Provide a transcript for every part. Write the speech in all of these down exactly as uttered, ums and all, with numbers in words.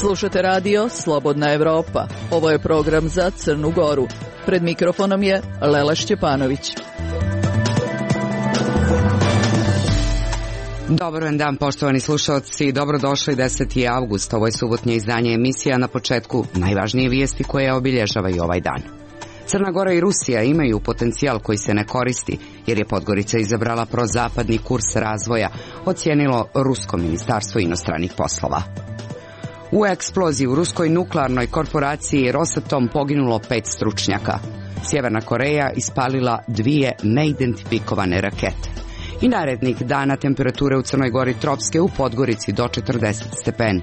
Slušate radio Slobodna Evropa. Ovo je program za Crnu Goru. Pred mikrofonom je Lela Šćepanović. Dobar dan, poštovani slušalci. Dobrodošli, deseti avgust. Ovo je subotnje izdanje emisija. Na početku najvažnije vijesti koje obilježavaju ovaj dan. Crna Gora i Rusija imaju potencijal koji se ne koristi, jer je Podgorica izabrala prozapadni kurs razvoja, ocijenilo Rusko ministarstvo inostranih poslova. U eksploziji u ruskoj nuklearnoj korporaciji Rosatom poginulo pet stručnjaka. Sjeverna Koreja ispalila dvije neidentifikovane rakete. I narednih dana temperature u Crnoj Gori tropske, u Podgorici do četrdeset stepeni.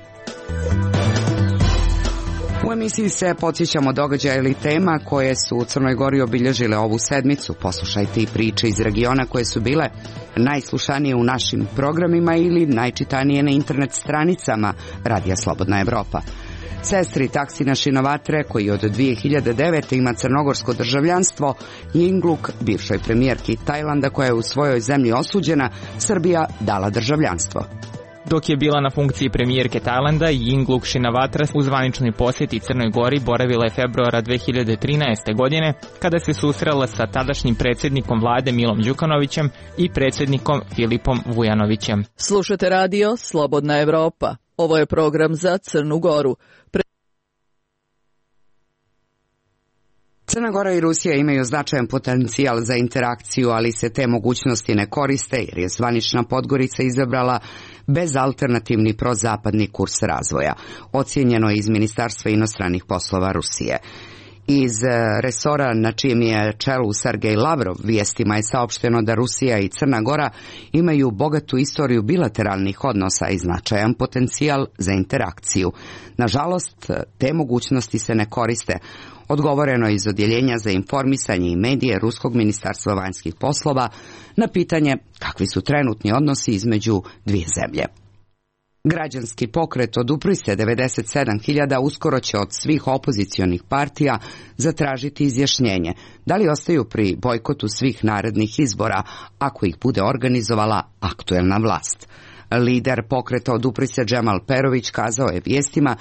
U emisiji se podsjećamo događaja ili tema koje su u Crnoj Gori obilježile ovu sedmicu. Poslušajte i priče iz regiona koje su bile najslušanije u našim programima ili najčitanije na internet stranicama Radija Slobodna Evropa. Sestri Taksina Shinawatra, koji od dvije hiljade devete. ima crnogorsko državljanstvo, Yingluck, bivšoj premijerki Tajlanda koja je u svojoj zemlji osuđena, Srbija dala državljanstvo. Dok je bila na funkciji premijerke Tajlanda, Yingluck Shinawatra u zvaničnoj posjeti Crnoj Gori boravila je februara dve hiljade trinaeste. godine, kada se susrela sa tadašnjim predsjednikom vlade Milom Đukanovićem i predsjednikom Filipom Vujanovićem. Slušate radio Slobodna Evropa. Ovo je program za Crnu Goru. Pre... Crna Gora i Rusija imaju značajan potencijal za interakciju, ali se te mogućnosti ne koriste, jer je zvanična Podgorica izabrala bezalternativni prozapadni kurs razvoja, ocijenjeno je iz Ministarstva inostranih poslova Rusije. Iz resora na čijem je čelu Sergej Lavrov vijestima je saopšteno da Rusija i Crna Gora imaju bogatu istoriju bilateralnih odnosa i značajan potencijal za interakciju. Nažalost, te mogućnosti se ne koriste, odgovoreno je iz Odjeljenja za informisanje i medije Ruskog ministarstva vanjskih poslova na pitanje kakvi su trenutni odnosi između dvije zemlje. Građanski pokret Odupri se devedeset sedam hiljada uskoro će od svih opozicionih partija zatražiti izjašnjenje da li ostaju pri bojkotu svih narednih izbora ako ih bude organizovala aktuelna vlast. Lider pokreta Odupri se Džemal Perović kazao je vijestima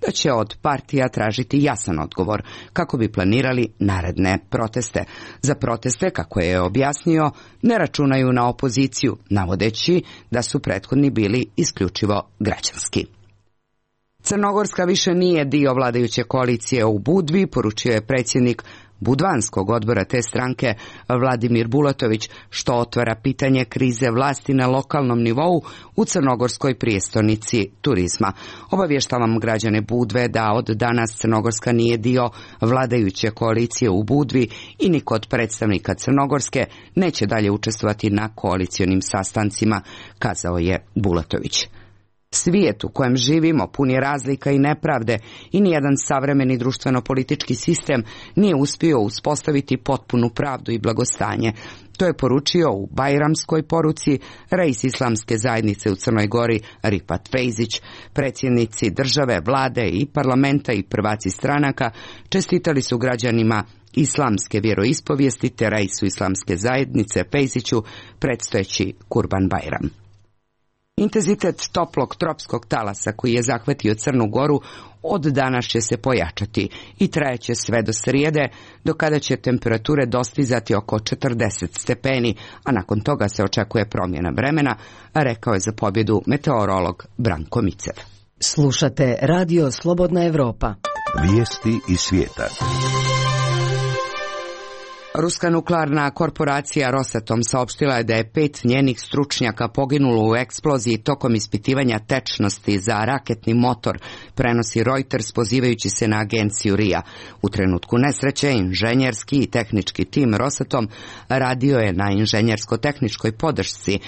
da će od partija tražiti jasan odgovor kako bi planirali naredne proteste. Za proteste, kako je objasnio, ne računaju na opoziciju, navodeći da su prethodni bili isključivo građanski. Crnogorska više nije dio vladajuće koalicije u Budvi, poručio je predsjednik Budvanskog odbora te stranke Vladimir Bulatović, što otvara pitanje krize vlasti na lokalnom nivou u crnogorskoj prijestolnici turizma. Obavještavam građane Budve da od danas Crnogorska nije dio vladajuće koalicije u Budvi i niko od predstavnika Crnogorske neće dalje učestvovati na koalicionim sastancima, kazao je Bulatović. Svijet u kojem živimo pun je razlika i nepravde i nijedan savremeni društveno-politički sistem nije uspio uspostaviti potpunu pravdu i blagostanje. To je poručio u Bajramskoj poruci reis islamske zajednice u Crnoj Gori Rifat Fejzić. Predsjednici države, vlade i parlamenta i prvaci stranaka čestitali su građanima islamske vjeroispovijesti te reisu islamske zajednice Fejziću predstojeći Kurban Bajram. Intenzitet toplog tropskog talasa koji je zahvatio Crnu Goru od danas će se pojačati i trajeće sve do srijede, do kada će temperature dostizati oko četrdeset stepeni, a nakon toga se očekuje promjena vremena, rekao je za pobjedu meteorolog Branko Micev. Slušate radio Slobodna Evropa. Vijesti iz svijeta. Ruska nuklearna korporacija Rosatom saopštila je da je pet njenih stručnjaka poginulo u eksploziji tokom ispitivanja tečnosti za raketni motor, prenosi Reuters pozivajući se na agenciju R I A. U trenutku nesreće inženjerski i tehnički tim Rosatom radio je na inženjersko-tehničkoj podršci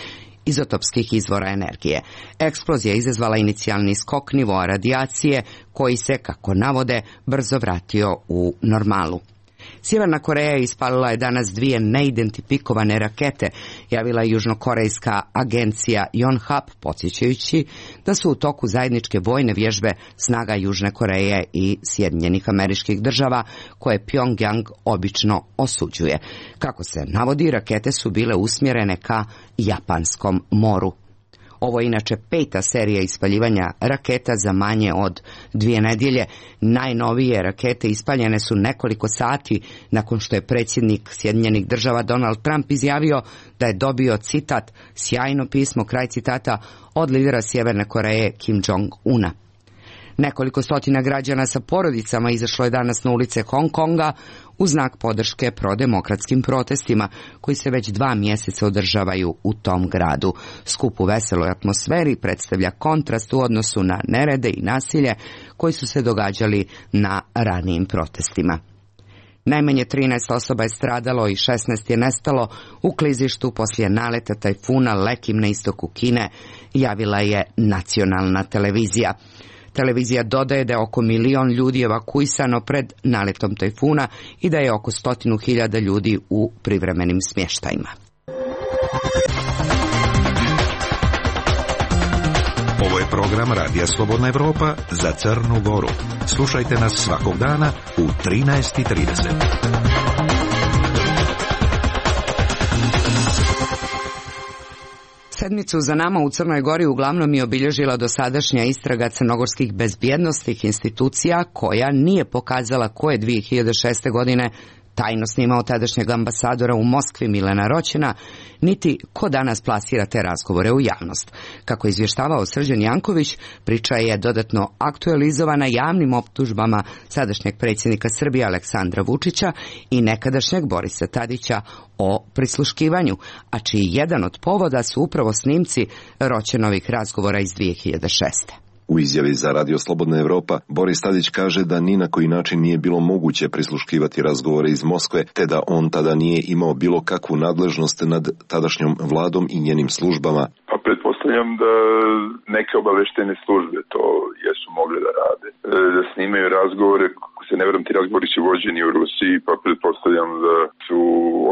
izotopskih izvora energije. Eksplozija izazvala inicijalni skok nivoa radijacije koji se, kako navode, brzo vratio u normalu. Sjeverna Koreja ispalila je danas dvije neidentifikovane rakete, javila je južnokorejska agencija Yonhap, podsjećajući da su u toku zajedničke vojne vježbe snaga Južne Koreje i Sjedinjenih Američkih Država, koje Pyongyang obično osuđuje. Kako se navodi, rakete su bile usmjerene ka Japanskom moru. Ovo je inače peta serija ispaljivanja raketa za manje od dvije nedjelje. Najnovije rakete ispaljene su nekoliko sati nakon što je predsjednik Sjedinjenih Država Donald Trump izjavio da je dobio, citat, sjajno pismo, kraj citata, od lidera Sjeverne Koreje Kim Jong-una. Nekoliko stotina građana sa porodicama izašlo je danas na ulice Hong Konga u znak podrške prodemokratskim protestima koji se već dva mjeseca održavaju u tom gradu. Skup u veseloj atmosferi predstavlja kontrast u odnosu na nerede i nasilje koji su se događali na ranijim protestima. Najmanje trinaest osoba je stradalo i šesnaest je nestalo u klizištu poslije naleta tajfuna Lekim na istoku Kine, javila je nacionalna televizija. Televizija dodaje da je oko milion ljudi evakuisano pred naletom tajfuna i da je oko stotinu hiljada ljudi u privremenim smještajima. Ovo je program Radija Slobodna Evropa za Crnu Goru. Slušajte nas svakog dana u trinaest i trideset. Sedmicu za nama u Crnoj Gori uglavnom je obilježila dosadašnja istraga crnogorskih bezbjednosnih institucija koja nije pokazala ko je dvije hiljade šeste. godine tajno snimao tadašnjeg ambasadora u Moskvi Milana Roćena, niti ko danas plasira te razgovore u javnost. Kako je izvještavao Srđan Janković, priča je dodatno aktualizovana javnim optužbama sadašnjeg predsjednika Srbije Aleksandra Vučića i nekadašnjeg Borisa Tadića o prisluškivanju, a čiji jedan od povoda su upravo snimci Roćenovih razgovora iz dvije hiljade šeste. U izjavi za Radio Slobodna Evropa, Boris Tadić kaže da ni na koji način nije bilo moguće prisluškivati razgovore iz Moskve, te da on tada nije imao bilo kakvu nadležnost nad tadašnjom vladom i njenim službama. Pa pretpostavljam da neke obaveštene službe to jesu mogle da rade. Da snimaju razgovore, ako se ne vjerujem, ti razgovori su vođeni u Rusiji, pa pretpostavljam da su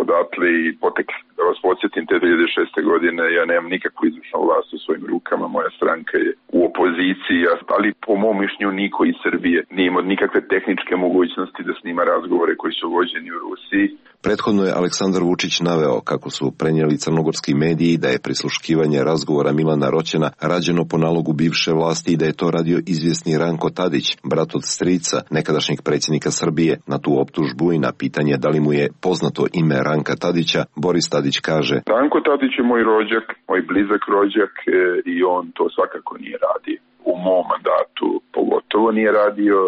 odatle i potekli. Da vas podsjetim, te dvije hiljade šeste. godine ja nemam nikakvu izvršnu vlast u svojim rukama, moja stranka je u opoziciji, ali po mom mišljenju niko iz Srbije nije imao nikakve tehničke mogućnosti da snima razgovore koji su vođeni u Rusiji. Prethodno je Aleksandar Vučić naveo kako su prenijeli crnogorski mediji da je prisluškivanje razgovora Milana Roćena rađeno po nalogu bivše vlasti i da je to radio izvjesni Ranko Tadić, brat od strica nekadašnjeg predsjednika Srbije. Na tu optužbu i na pitanje da li mu je poznato ime Ranka Tadića, Boris Tadić kaže: Ranko Tadić je moj rođak, moj blizak rođak e, i on to svakako nije radio. U mom mandatu pogotovo nije radio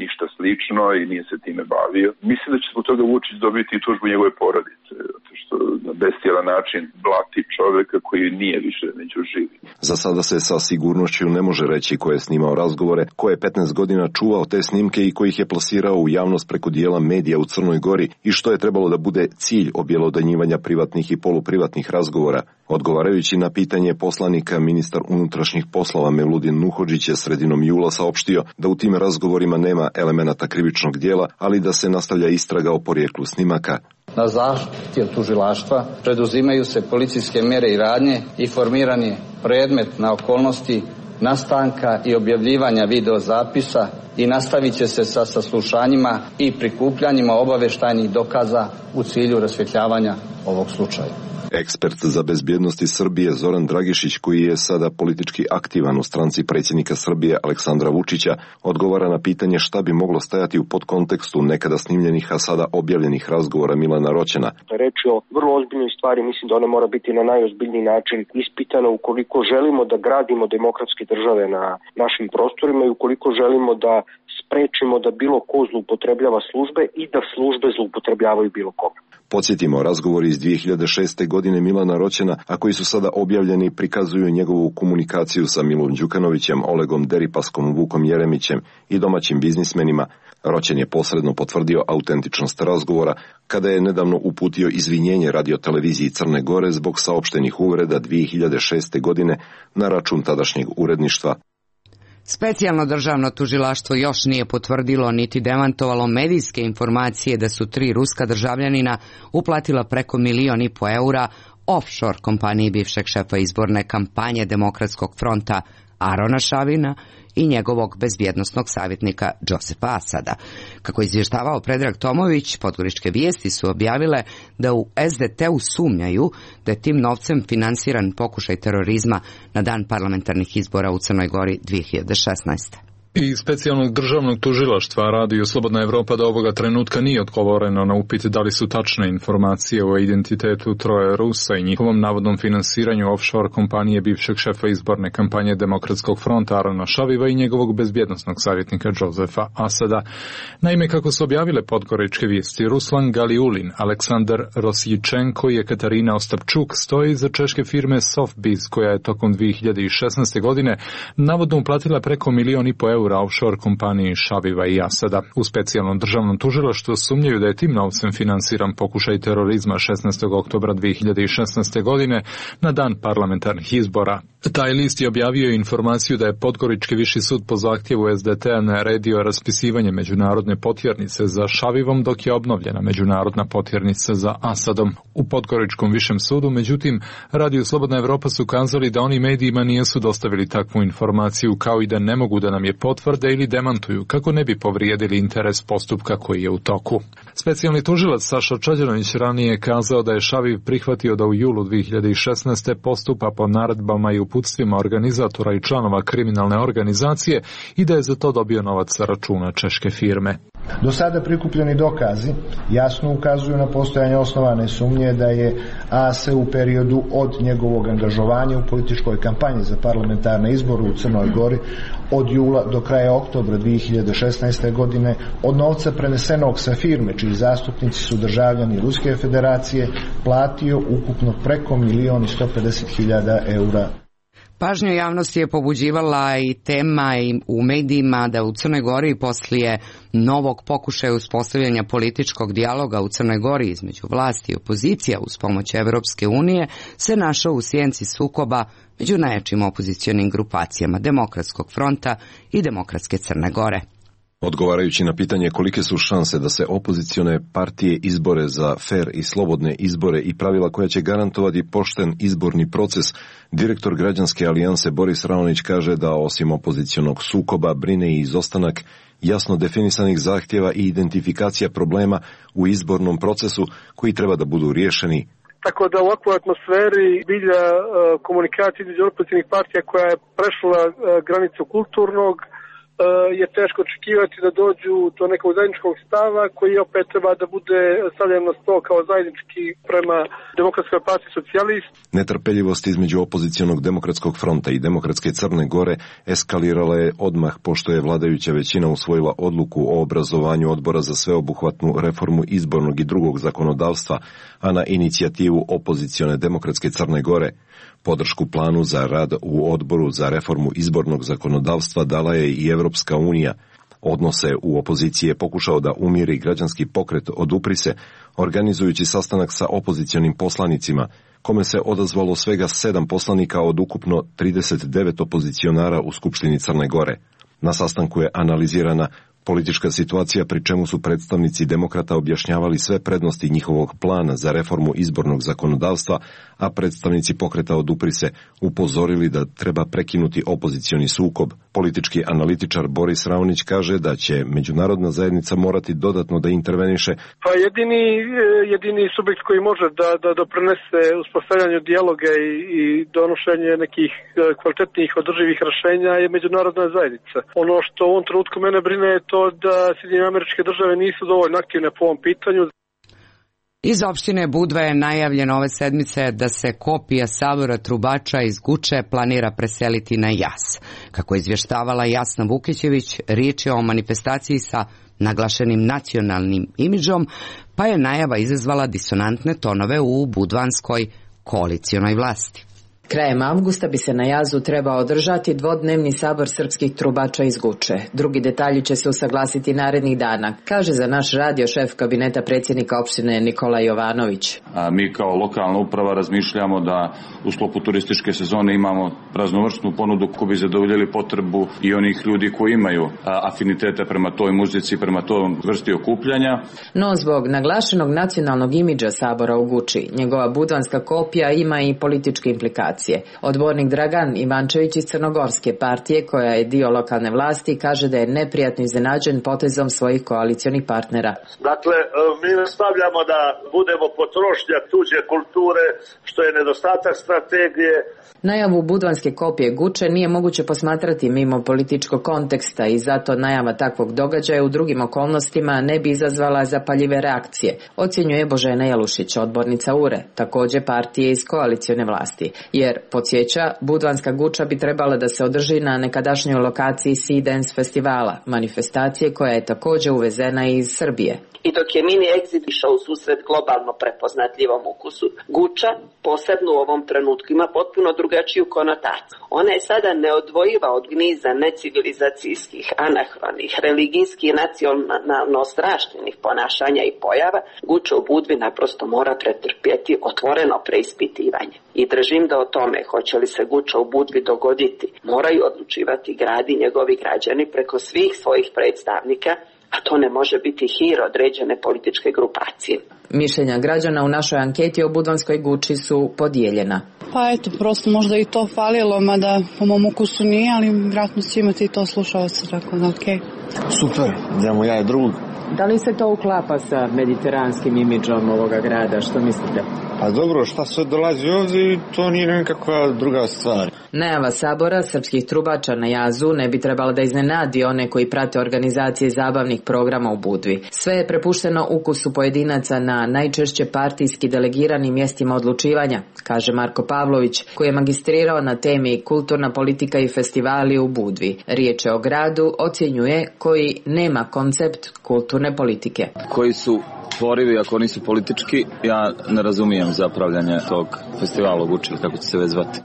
ništa slično i nije se time bavio. Mislim da će zbog toga Vučić dobiti i tužbu njegove porodice, zato što na bestijalan način blati čovjeka koji nije više među živi. Za sada se sa sigurnošću ne može reći ko je snimao razgovore, ko je petnaest godina čuvao te snimke i koji ih je plasirao u javnost preko dijela medija u Crnoj Gori i što je trebalo da bude cilj objelodanjivanja privatnih i poluprivatnih razgovora. Odgovarajući na pitanje poslanika, ministar unutrašnjih poslova Meludin Nuhodžić je sredinom jula saopštio da u tim razgovorima nema elemenata krivičnog djela, ali da se nastavlja istraga o porijeklu snimaka. Na zahtjev tužilaštva preduzimaju se policijske mjere i radnje i formiran je predmet na okolnosti nastanka i objavljivanja videozapisa i nastavit će se sa saslušanjima i prikupljanjima obavještajnih dokaza u cilju rasvjetljavanja ovog slučaja. Ekspert za bezbjednost iz Srbije Zoran Dragišić, koji je sada politički aktivan u stranci predsjednika Srbije Aleksandra Vučića, odgovara na pitanje šta bi moglo stajati u podkontekstu nekada snimljenih, a sada objavljenih razgovora Milana Roćena. Reč je o vrlo ozbiljnoj stvari, mislim da ona mora biti na najozbiljniji način ispitana ukoliko želimo da gradimo demokratske države na našim prostorima i ukoliko želimo da sprečimo da bilo ko zloupotrebljava službe i da službe zloupotrebljavaju bilo koga. Podsjetimo, razgovori iz dvije hiljade šeste. godine Milana Roćena, a koji su sada objavljeni, prikazuju njegovu komunikaciju sa Milom Đukanovićem, Olegom Deripaskom, Vukom Jeremićem i domaćim biznismenima. Roćen je posredno potvrdio autentičnost razgovora kada je nedavno uputio izvinjenje radioteleviziji Crne Gore zbog saopštenih uvreda dvije hiljade šeste. godine na račun tadašnjeg uredništva. Specijalno državno tužilaštvo još nije potvrdilo niti demantovalo medijske informacije da su tri ruska državljanina uplatila preko milion i po eura offshore kompaniji bivšeg šefa izborne kampanje Demokratskog fronta Arona Šavina i njegovog bezbjednosnog savjetnika Džosefa Asada. Kako je izvještavao Predrag Tomović, Podgoričke vijesti su objavile da u es de te u sumnjaju da je tim novcem finansiran pokušaj terorizma na dan parlamentarnih izbora u Crnoj Gori dvije hiljade šesnaeste. I specijalnog državnog tužilaštva Radio Slobodna Evropa do ovoga trenutka nije odgovoreno na upit da li su tačne informacije o identitetu troje Rusa i njihovom navodnom finansiranju offshore kompanije bivšeg šefa izborne kampanje Demokratskog fronta Arona Šaviva i njegovog bezbjednosnog savjetnika Džosefa Asada. Naime, kako su objavile Podgoričke vijesti, Ruslan Galiulin, Aleksandar Rosjičenko i Katarina Ostapčuk stoje iza češke firme Softbiz, koja je tokom dvije hiljade šesnaeste. godine navodno uplatila preko milion i po eura offshore kompaniji Šaviva i Asada. U specijalnom državnom tužilaštvu sumnjaju da je tim novcem finansiran pokušaj terorizma šesnaestog oktobra dvije hiljade šesnaeste. godine na dan parlamentarnih izbora. Taj list je objavio informaciju da je Podgorički viši sud po zahtjevu es de te naredio raspisivanje međunarodne potjernice za Šavivom, dok je obnovljena međunarodna potjernica za Asadom. U Podgoričkom višem sudu, međutim, Radio Slobodna Evropa su kazali da oni medijima nisu dostavili takvu informaciju, kao i da ne mogu da nam je potvrde ili demantuju, kako ne bi povrijedili interes postupka koji je u toku. Specijalni tužilac Saša Čađanović ranije je kazao da je Šaviv prihvatio da u julu dvije hiljade šesnaeste. postupa po naredbama i uputstvima organizatora i članova kriminalne organizacije i da je za to dobio novac sa računa češke firme. Do sada prikupljeni dokazi jasno ukazuju na postojanje osnovane sumnje da je A S u periodu od njegovog angažovanja u političkoj kampanji za parlamentarne izbore u Crnoj Gori od jula do kraja oktobra dvije hiljade šesnaeste. godine od novca prenesenog sa firme, čiji zastupnici su državljani Ruske federacije, platio ukupno preko milion i sto pedeset hiljada eura. Pažnju javnosti je pobuđivala i tema i u medijima da u Crnoj Gori poslije novog pokušaja uspostavljanja političkog dijaloga u Crnoj Gori između vlasti i opozicija uz pomoć Evropske unije se našao u sjenci sukoba među najjačim opozicionim grupacijama Demokratskog fronta i Demokratske Crne Gore. Odgovarajući na pitanje kolike su šanse da se opozicione partije izbore za fer i slobodne izbore i pravila koja će garantovati pošten izborni proces, direktor Građanske alijanse Boris Raonić kaže da osim opozicionog sukoba brine i izostanak jasno definisanih zahtjeva i identifikacija problema u izbornom procesu koji treba da budu riješeni. Tako da u ovakvoj atmosferi bilja komunikacije između opozicionih partija koja je prešla granicu kulturnog, je teško očekivati da dođu do nekog zajedničkog stava koji opet treba da bude stavljen na sto kao zajednički prema Demokratskoj partiji socijalist. Netrpeljivost između opozicionog Demokratskog fronta i Demokratske Crne Gore eskalirala je odmah pošto je vladajuća većina usvojila odluku o obrazovanju odbora za sveobuhvatnu reformu izbornog i drugog zakonodavstva, a na inicijativu opozicione Demokratske Crne Gore. Podršku planu za rad u odboru za reformu izbornog zakonodavstva dala je i Evropska unija. Odnose u opoziciji je pokušao da umiri građanski pokret Odupri se, organizujući sastanak sa opozicionim poslanicima, kome se odazvalo svega sedam poslanika od ukupno trideset devet opozicionara u Skupštini Crne Gore. Na sastanku je analizirana politička situacija, pri čemu su predstavnici demokrata objašnjavali sve prednosti njihovog plana za reformu izbornog zakonodavstva, a predstavnici pokreta Odupri se upozorili da treba prekinuti opozicioni sukob. Politički analitičar Boris Raonić kaže da će međunarodna zajednica morati dodatno da interveniše. Pa jedini, jedini subjekt koji može da, da doprinese uspostavljanju dijaloga i, i donošenje nekih kvalitetnih održivih rješenja je međunarodna zajednica. Ono što u ovom trenutku mene brine je to da Sjedinjene Američke Države nisu dovoljno aktivne po ovom pitanju. Iz opštine Budva je najavljeno ove sedmice da se kopija Sabora Trubača iz Guče planira preseliti na Jas. Kako je izvještavala Jasna Vukićević, riječ je o manifestaciji sa naglašenim nacionalnim imidžom, pa je najava izazvala disonantne tonove u budvanskoj koalicionoj vlasti. Krajem avgusta bi se na Jazu trebao održati dvodnevni sabor srpskih trubača iz Guče. Drugi detalji će se usaglasiti narednih dana, kaže za naš radio šef kabineta predsjednika opštine Nikola Jovanović. A mi kao lokalna uprava razmišljamo da u sklopu turističke sezone imamo raznovrsnu ponudu koji bi zadovoljili potrebu i onih ljudi koji imaju afinitete prema toj muzici, prema toj vrsti okupljanja. No zbog naglašenog nacionalnog imidža sabora u Guči, njegova budvanska kopija ima i političke implikacije. lokacije. Odbornik Dragan Ivančević iz Crnogorske partije, koja je dio lokalne vlasti, kaže da je neprijatno iznenađen potezom svojih koalicionih partnera. Dakle, mi nastavljamo da budemo potrošnja tuđe kulture, što je nedostatak strategije. Najavu budvanske kopije Guče nije moguće posmatrati mimo političkog konteksta i zato najava takvog događaja u drugim okolnostima ne bi izazvala zapaljive reakcije, ocjenjuje Božena Jalušić, odbornica U R E, također partije iz koalicione vlasti, jer, podsjeća, budvanska Guča bi trebala da se održi na nekadašnjoj lokaciji Sea Dance festivala, manifestacije koja je također uvezena iz Srbije. I dok je mini exit išao u susret globalno prepoznatljivom ukusu, Guča, posebno u ovom trenutku, ima potpuno drugačiju konotaciju. Ona je sada neodvojiva od gniza necivilizacijskih, anahronih, religijskih i nacionalno strašnih ponašanja i pojava. Guča u Budvi naprosto mora pretrpjeti otvoreno preispitivanje. I držim da o tome, hoće li se Guča u Budvi dogoditi, moraju odlučivati grad i njegovi građani preko svih svojih predstavnika, a to ne može biti hir određene političke grupacije. Mišljenja građana u našoj anketi o budvanskoj Guči su podijeljena. Pa eto, prosto možda i to falilo, mada po mom ukusu nije, ali vjerojatno će imati i to slušalce, tako da okej. Okay. Super, idemo ja i drug. Da li se to uklapa sa mediteranskim imidžom ovoga grada, što mislite? Pa dobro, šta sve dolazi ovdje, to nije nekakva druga stvar. Najava sabora srpskih trubača na jazu ne bi trebalo da iznenadi one koji prate organizacije zabavnih programa u Budvi. Sve je prepušteno ukusu pojedinaca na najčešće partijski delegiranim mjestima odlučivanja, kaže Marko Pavlović, koji je magistrirao na temi kulturna politika i festivali u Budvi. Riječ je o gradu, ocjenjuje, koji nema koncept kulturne politike. Koji su tvorivi, ako nisu politički, ja ne razumijem zapravljanje tog festivala u Guči, kako će se već zvati.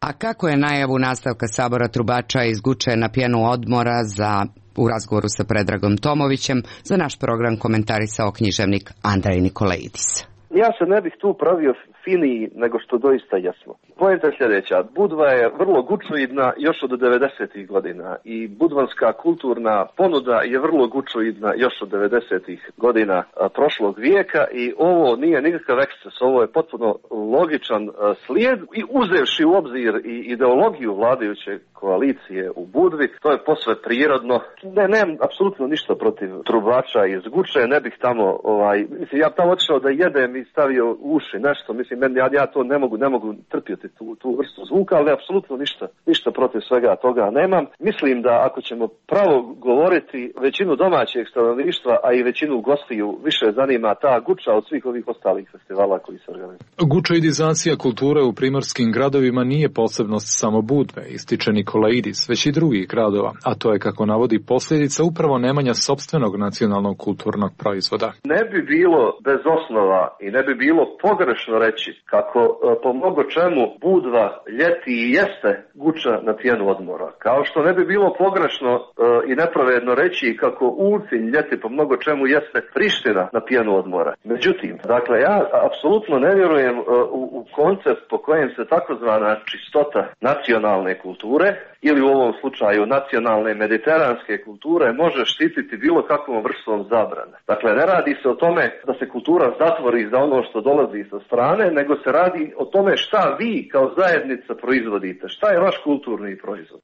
A kako je najavu nastavka sabora trubača iz Guče na pjenu odmora za u razgovoru sa Predragom Tomovićem za naš program komentarisao književnik Andrej Nikolaidis. Ja se ne bih tu pravio finiji nego što doista jesmo. Poenta je sljedeća. Budva je vrlo gučoidna još od devedesetih godina i budvanska kulturna ponuda je vrlo gučoidna još od devedesetih godina prošlog vijeka i ovo nije nikakav eksces, ovo je potpuno logičan slijed i uzevši u obzir i ideologiju vladajuće koalicije u Budvi, to je posve prirodno. Ne, nemam apsolutno ništa protiv trubača iz Guče, ne bih tamo, ovaj, mislim, ja tamo otišao da jedem i stavio uši nešto, mislim, ja, ja to ne mogu, ne mogu trpjeti tu, tu vrstu zvuka, ali apsolutno ništa, ništa protiv svega toga nemam. Mislim da ako ćemo pravo govoriti, većinu domaćeg stanovništva, a i većinu gostiju više zanima ta Guča od svih ovih ostalih festivala koji se organizuju. Gučoidizacija kulture u primorskim gradovima nije posebnost samo Budve, ističe Nikolaidis, već i drugih gradova, a to je, kako navodi, posljedica upravo nemanja sopstvenog nacionalnog kulturnog proizvoda. Ne bi bilo bez osnova i ne bi bilo pogrešno reći kako po mnogo čemu Budva ljeti i jeste Guča na pjenu odmora. Kao što ne bi bilo pogrešno e, i nepravedno reći kako Ulcinj ljeti po mnogo čemu jeste Priština na pjenu odmora. Međutim, dakle, ja apsolutno ne vjerujem e, u, u koncept po kojem se takozvana čistota nacionalne kulture ili u ovom slučaju nacionalne mediteranske kulture može štititi bilo kakvom vrstom zabrane. Dakle, ne radi se o tome da se kultura zatvori za ono što dolazi sa strane, nego se radi o tome šta vi kao zajednica proizvodite, šta je vaš kulturni proizvod.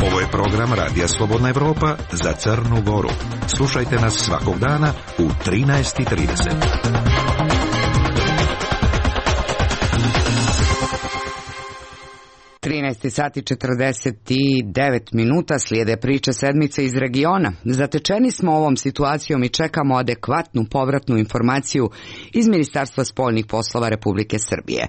Ovo je program Radija Slobodna Evropa za Crnu Goru. Slušajte nas svakog dana u trinaest i trideset. trinaest sati četrdeset devet minuta, slijede priče sedmice iz regiona. Zatečeni smo ovom situacijom i čekamo adekvatnu povratnu informaciju iz Ministarstva spoljnih poslova Republike Srbije.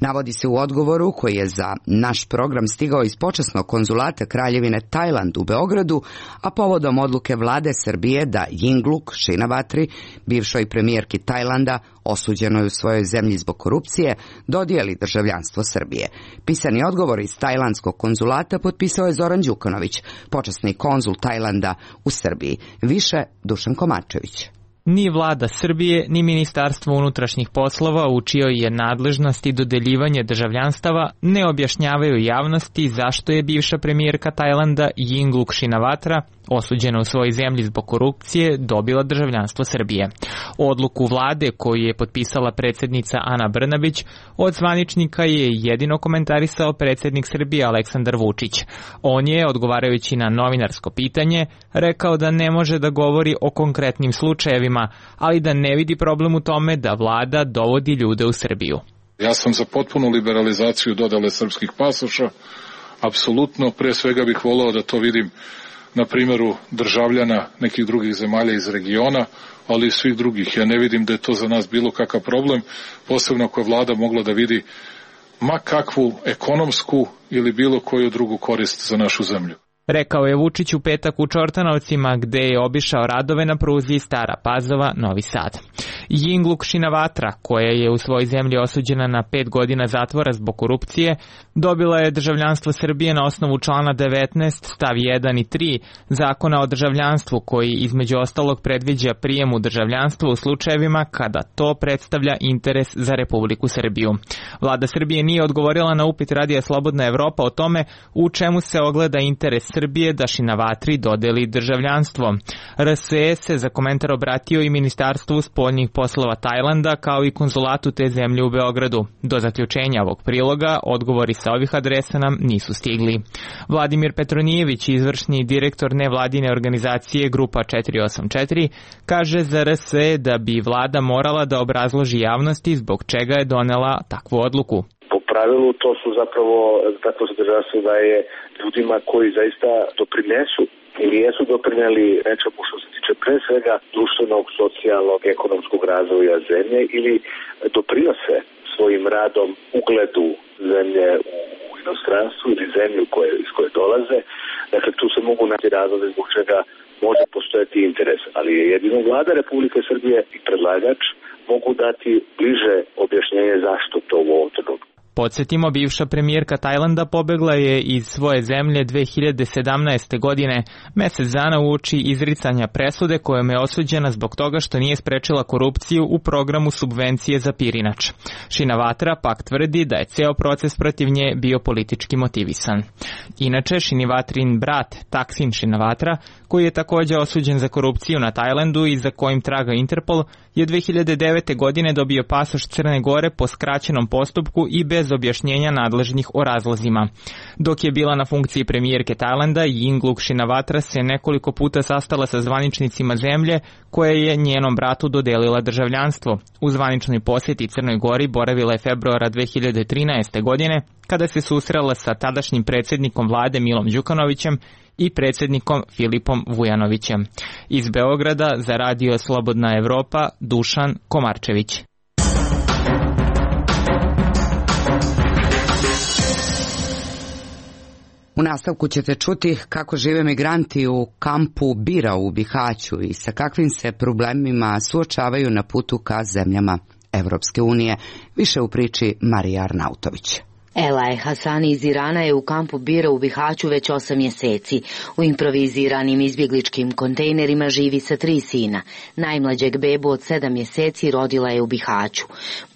Navodi se u odgovoru koji je za naš program stigao iz počasnog konzulata Kraljevine Tajland u Beogradu, a povodom odluke vlade Srbije da Yingluck Shinawatri, bivšoj premijerki Tajlanda, osuđenoj u svojoj zemlji zbog korupcije, dodijeli državljanstvo Srbije. Pisani odgovor iz tajlandskog konzulata potpisao je Zoran Đukanović, počasni konzul Tajlanda u Srbiji. Više Dušan Komačević. Ni vlada Srbije, ni Ministarstvo unutrašnjih poslova, u čijoj je nadležnosti dodeljivanje državljanstava, ne objašnjavaju javnosti zašto je bivša premijerka Tajlanda Yingluck Shinawatra, osuđena u svojoj zemlji zbog korupcije, dobila državljanstvo Srbije. Odluku vlade koju je potpisala predsjednica Ana Brnabić od zvaničnika je jedino komentarisao predsjednik Srbije Aleksandar Vučić. On je, odgovarajući na novinarsko pitanje, rekao da ne može da govori o konkretnim slučajevima, ali da ne vidi problem u tome da vlada dovodi ljude u Srbiju. Ja sam za potpunu liberalizaciju dodale srpskih pasoša. Apsolutno, pre svega bih voleo da to vidim na primjeru državljana nekih drugih zemalja iz regiona, ali i svih drugih. Ja ne vidim da je to za nas bilo kakav problem, posebno ako je vlada mogla da vidi ma kakvu ekonomsku ili bilo koju drugu korist za našu zemlju. Rekao je Vučić u petak u Čortanovcima, gde je obišao radove na pruzi Stara Pazova – Novi Sad. Yingluck Shinawatra, koja je u svojoj zemlji osuđena na pet godina zatvora zbog korupcije, dobila je državljanstvo Srbije na osnovu člana devetnaest stav jedan i tri Zakona o državljanstvu, koji između ostalog predviđa prijem u državljanstvo u slučajevima kada to predstavlja interes za Republiku Srbiju. Vlada Srbije nije odgovorila na upit Radija Slobodna Evropa o tome u čemu se ogleda interes Srbije da Shinawatri dodeli državljanstvo. R S E se za komentar obratio i Ministarstvu spoljnih poslova Tajlanda, kao i konzulatu te zemlje u Beogradu. Do zaključenja ovog priloga odgovori sa ovih adresa nam nisu stigli. Vladimir Petronijević, izvršni direktor nevladine organizacije Grupa četiri osam četiri, kaže za R S E da bi vlada morala da obrazloži javnosti zbog čega je donela takvu odluku. Po pravilu to su zapravo tako zadržavstvo da je ljudima koji zaista doprinesu ili jesu doprineli nečemu što se tiče pre svega društvenog, socijalnog, ekonomskog razvoja zemlje ili doprinose svojim radom ugledu zemlje u inostranstvu ili zemlju koje, iz koje dolaze. Dakle, tu se mogu naći razlozi zbog čega može postojati interes, ali je jedino vlada Republike Srbije i predlagač mogu dati bliže objašnjenje zašto to u ovom trenutku. Podsjetimo, bivša premijerka Tajlanda pobegla je iz svoje zemlje dve hiljade sedamnaeste. godine, mesec dana uoči izricanja presude kojom je osuđena zbog toga što nije sprečila korupciju u programu subvencije za pirinač. Shinawatra pak tvrdi da je ceo proces protiv nje bio politički motivisan. Inače, Shinawatrin brat Thaksin Shinawatra, koji je također osuđen za korupciju na Tajlandu i za kojim traga Interpol, je dve hiljade devete. godine dobio pasoš Crne Gore po skraćenom postupku i bez objašnjenja nadležnih o razlozima. Dok je bila na funkciji premijerke Tajlanda, Yingluck Shinawatra se nekoliko puta sastala sa zvaničnicima zemlje koje je njenom bratu dodelila državljanstvo. U zvaničnoj posjeti Crnoj Gori boravila je februara dve hiljade trinaeste. godine, kada se susrela sa tadašnjim predsjednikom vlade Milom Đukanovićem i predsjednikom Filipom Vujanovićem. Iz Beograda za Radio Slobodna Evropa, Dušan Komarčević. U nastavku ćete čuti kako žive migranti u kampu Bira u Bihaću i sa kakvim se problemima suočavaju na putu ka zemljama Evropske unije. Više u priči Marija Arnautović. Elaj Hasani iz Irana je u kampu Bira u Bihaću već osam mjeseci. U improviziranim izbjegličkim kontejnerima živi sa tri sina. Najmlađeg bebu od sedam mjeseci rodila je u Bihaću.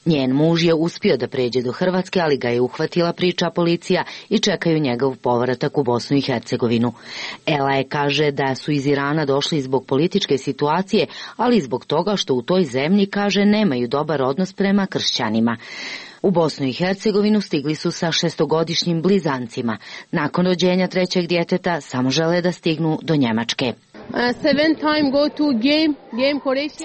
Njen muž je uspio da pređe do Hrvatske, ali ga je uhvatila, priča policija, i čekaju njegov povratak u Bosnu i Hercegovinu. Elaj kaže da su iz Irana došli zbog političke situacije, ali i zbog toga što u toj zemlji, kaže, nemaju dobar odnos prema kršćanima. U Bosnu i Hercegovinu stigli su sa šestogodišnjim blizancima. Nakon rođenja trećeg djeteta samo žele da stignu do Njemačke.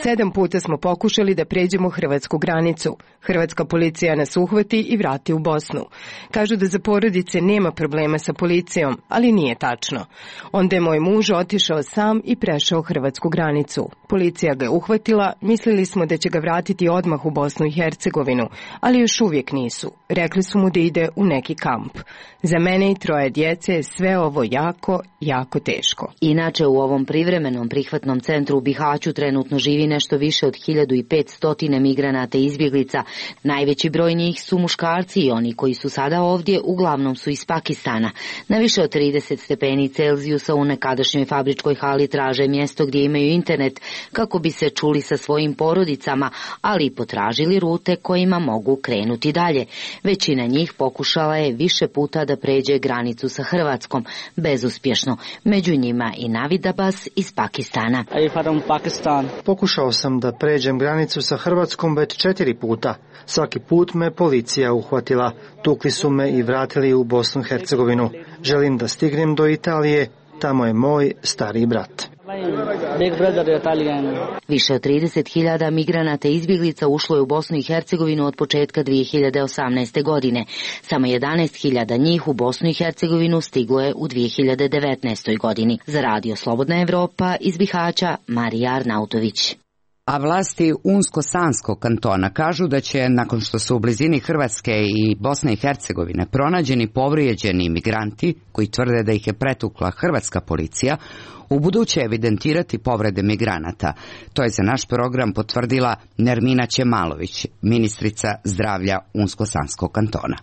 Sedam puta smo pokušali da pređemo hrvatsku granicu. Hrvatska policija nas uhvati i vrati u Bosnu. Kažu da za porodice nema problema sa policijom, ali nije tačno. Onda je moj muž otišao sam i prešao hrvatsku granicu. Policija ga je uhvatila, mislili smo da će ga vratiti odmah u Bosnu i Hercegovinu, ali još uvijek nisu. Rekli su mu da ide u neki kamp. Za mene i troje djece je sve ovo jako, jako teško. Inače, u ovom privremenom prihvatnom centru u Bihaću trenutno živi nešto više od hiljadu petsto migranata i izbjeglica. Najveći broj njih su muškarci i oni koji su sada ovdje uglavnom su iz Pakistana. Na više od trideset stepeni Celzijusa u nekadašnjoj fabričkoj hali traže mjesto gdje imaju internet kako bi se čuli sa svojim porodicama, ali i potražili rute kojima mogu krenuti dalje. Većina njih pokušala je više puta da pređe granicu sa Hrvatskom, bezuspješno. Među njima i Navid Abbas iz Pakistana. Pokušao sam da pređem granicu sa Hrvatskom već četiri puta. Svaki put me policija uhvatila. Tukli su me i vratili u Bosnu i Hercegovinu. Želim da stignem do Italije. Tamo je moj stari brat. Više od trideset hiljada migranata i izbjeglica ušlo je u Bosnu i Hercegovinu od početka dvije hiljade osamnaeste. godine. Samo jedanaest hiljada njih u Bosnu i Hercegovinu stiglo je u dvije hiljade devetnaestoj. godini. Za radio Slobodna Evropa iz Bihaća, Marija Arnautović. A vlasti Unsko-Sanskog kantona kažu da će, nakon što su u blizini Hrvatske i Bosne i Hercegovine pronađeni povrijeđeni migranti, koji tvrde da ih je pretukla hrvatska policija, u buduće evidentirati povrede migranata. To je za naš program potvrdila Nermina Ćemalović, ministrica zdravlja Unsko-Sanskog kantona.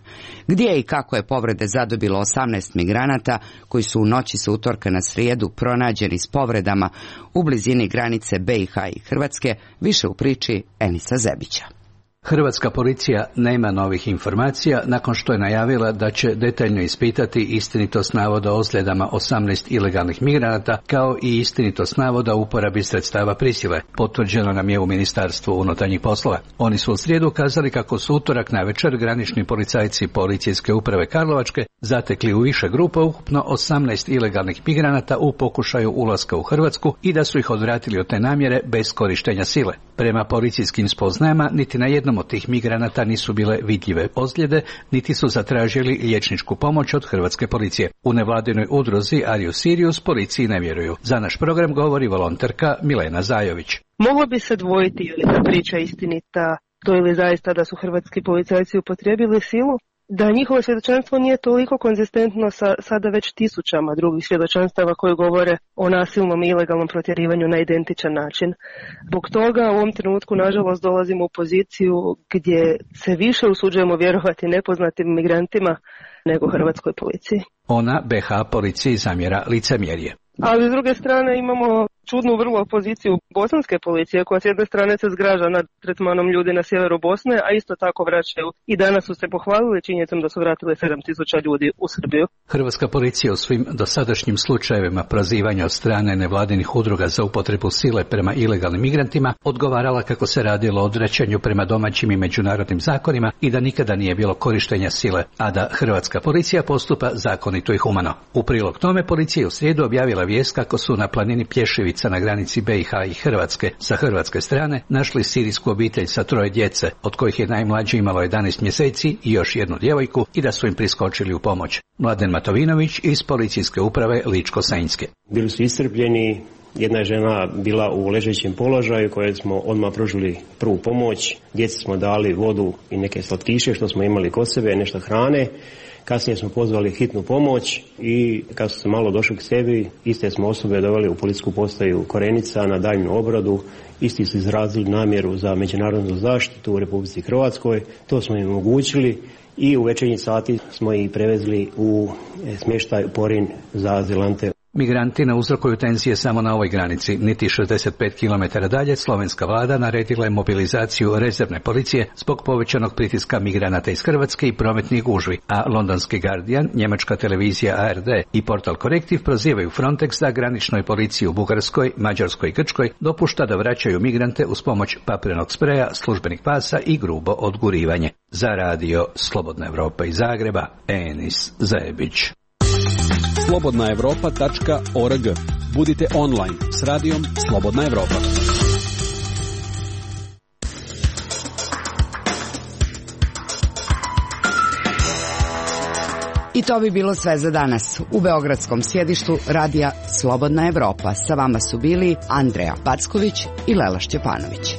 Gdje i kako je povrede zadobilo osamnaest migranata koji su u noći sa utorka na srijedu pronađeni s povredama u blizini granice B i H i Hrvatske, više u priči Enisa Zebića. Hrvatska policija nema novih informacija nakon što je najavila da će detaljno ispitati istinitost navoda o ozljedama osamnaest ilegalnih migranata kao i istinitost navoda o uporabi sredstava prisile. Potvrđeno nam je u Ministarstvu unutarnjih poslova. Oni su u srijedu kazali kako su utorak navečer granični policajci Policijske uprave Karlovačke zatekli u više grupa ukupno osamnaest ilegalnih migranata u pokušaju ulaska u Hrvatsku i da su ih odvratili od te namjere bez korištenja sile. Prema policijskim spoznajama niti na jednom od tih migranata nisu bile vidljive ozljede, niti su zatražili liječničku pomoć od hrvatske policije. U nevladinoj udruzi Arius Sirius policiji ne vjeruju. Za naš program govori volonterka Milena Zajović. Moglo bi se dvojiti je li ta priča istinita, to je li zaista da su hrvatski policajci upotrijebili silu, da njihovo svjedočanstvo nije toliko konzistentno sa sada već tisućama drugih svjedočanstava koji govore o nasilnom i ilegalnom protjerivanju na identičan način. Zbog toga u ovom trenutku nažalost dolazimo u poziciju gdje se više usuđujemo vjerovati nepoznatim migrantima nego hrvatskoj policiji. Ona B H policiji zamjera licemjerje. Ali s druge strane imamo čudnu vrlo poziciju bosanske policije koja s jedne strane se zgraža nad tretmanom ljudi na sjeveru Bosne, a isto tako vraćaju i danas su se pohvalili činjenicom da su vratili sedam tisuća ljudi u Srbiju. Hrvatska policija u svim dosadašnjim slučajevima prozivanja od strane nevladinih udruga za upotrebu sile prema ilegalnim migrantima odgovarala kako se radilo o odvraćanju prema domaćim i međunarodnim zakonima i da nikada nije bilo korištenja sile, a da hrvatska policija postupa zakonito i humano. U prilog tome policija je u srijedu objavila vijest kako su na planini Pješevica na granici B i H i Hrvatske sa hrvatske strane našli sirijsku obitelj sa troje djece, od kojih je najmlađe imalo jedanaest mjeseci i još jednu djevojku i da su im priskočili u pomoć. Mladen Matovinović iz policijske uprave Ličko-Senjske. Bili su iscrpljeni, jedna je žena bila u ležećem položaju koje smo odmah pružili prvu pomoć, djeci smo dali vodu i neke slatkiše što smo imali kod sebe, nešto hrane. Kasnije smo pozvali hitnu pomoć i kad su se malo došli k sebi, iste smo osobe doveli u policijsku postaju Korenica na daljnju obradu. Isti su izrazili namjeru za međunarodnu zaštitu u Republici Hrvatskoj. To smo im omogućili i u večernji sati smo ih prevezli u smještaj Porin za azilante. Migranti ne uzrokuju tenzije samo na ovoj granici. Niti šezdeset pet kilometara dalje slovenska vlada naredila je mobilizaciju rezervne policije zbog povećanog pritiska migranata iz Hrvatske i prometnih gužvi, a londonski Guardian, njemačka televizija A R D i portal Korektiv prozivaju Frontex da graničnoj policiji u Bugarskoj, Mađarskoj i Grčkoj dopušta da vraćaju migrante uz pomoć papirnog spreja, službenih pasa i grubo odgurivanje. Za radio Slobodna Evropa iz Zagreba, Enis Zajebić. slobodna evropa tačka org. Budite online s radijom Slobodna Evropa. I to bi bilo sve za danas. U beogradskom sjedištu radija Slobodna Evropa sa vama su bili Andreja Packović i Lela Šćepanović.